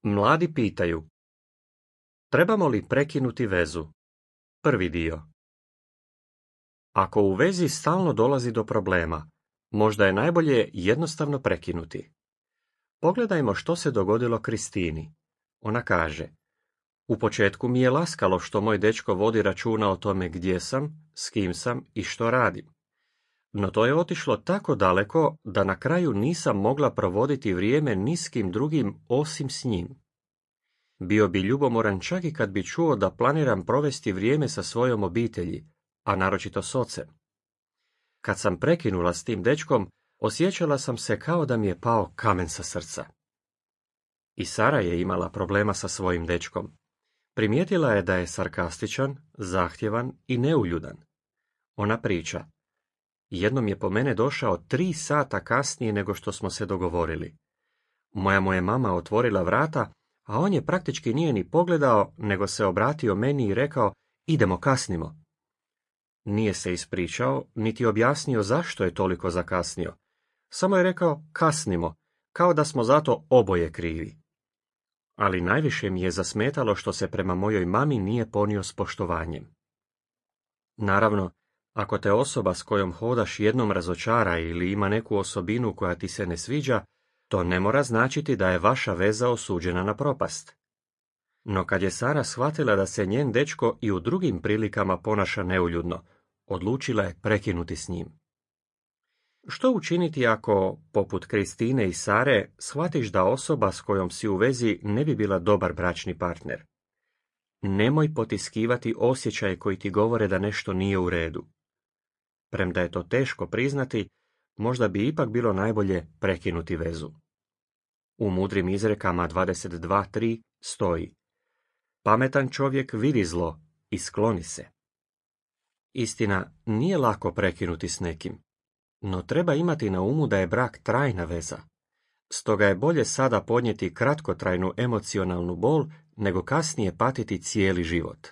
Mladi pitaju: trebamo li prekinuti vezu? Prvi dio. Ako u vezi stalno dolazi do problema, možda je najbolje jednostavno prekinuti. Pogledajmo što se dogodilo Kristini. Ona kaže: u početku mi je laskalo što moj dečko vodi računa o tome gdje sam, s kim sam i što radim. No to je otišlo tako daleko da na kraju nisam mogla provoditi vrijeme ni s kim drugim osim s njim. Bio bi ljubomoran čak i kad bi čuo da planiram provesti vrijeme sa svojom obitelji, a naročito s ocem. Kad sam prekinula s tim dečkom, osjećala sam se kao da mi je pao kamen sa srca. I Sara je imala problema sa svojim dečkom. Primijetila je da je sarkastičan, zahtjevan i neuljudan. Ona priča: jednom je po mene došao 3 sata kasnije nego što smo se dogovorili. Moja mu je mama otvorila vrata, a on je praktički nije ni pogledao, nego se obratio meni i rekao: idemo, kasnimo. Nije se ispričao, niti objasnio zašto je toliko zakasnio. Samo je rekao: kasnimo, kao da smo zato oboje krivi. Ali najviše mi je zasmetalo što se prema mojoj mami nije ponio s poštovanjem. Naravno, ako te osoba s kojom hodaš jednom razočara ili ima neku osobinu koja ti se ne sviđa, to ne mora značiti da je vaša veza osuđena na propast. No kad je Sara shvatila da se njen dečko i u drugim prilikama ponaša neuljudno, odlučila je prekinuti s njim. Što učiniti ako, poput Kristine i Sare, shvatiš da osoba s kojom si u vezi ne bi bila dobar bračni partner? Nemoj potiskivati osjećaje koji ti govore da nešto nije u redu. Premda je to teško priznati, možda bi ipak bilo najbolje prekinuti vezu. U mudrim izrekama 22.3 stoji: pametan čovjek vidi zlo i skloni se. Istina, nije lako prekinuti s nekim, no treba imati na umu da je brak trajna veza. Stoga je bolje sada podnijeti kratkotrajnu emocionalnu bol nego kasnije patiti cijeli život.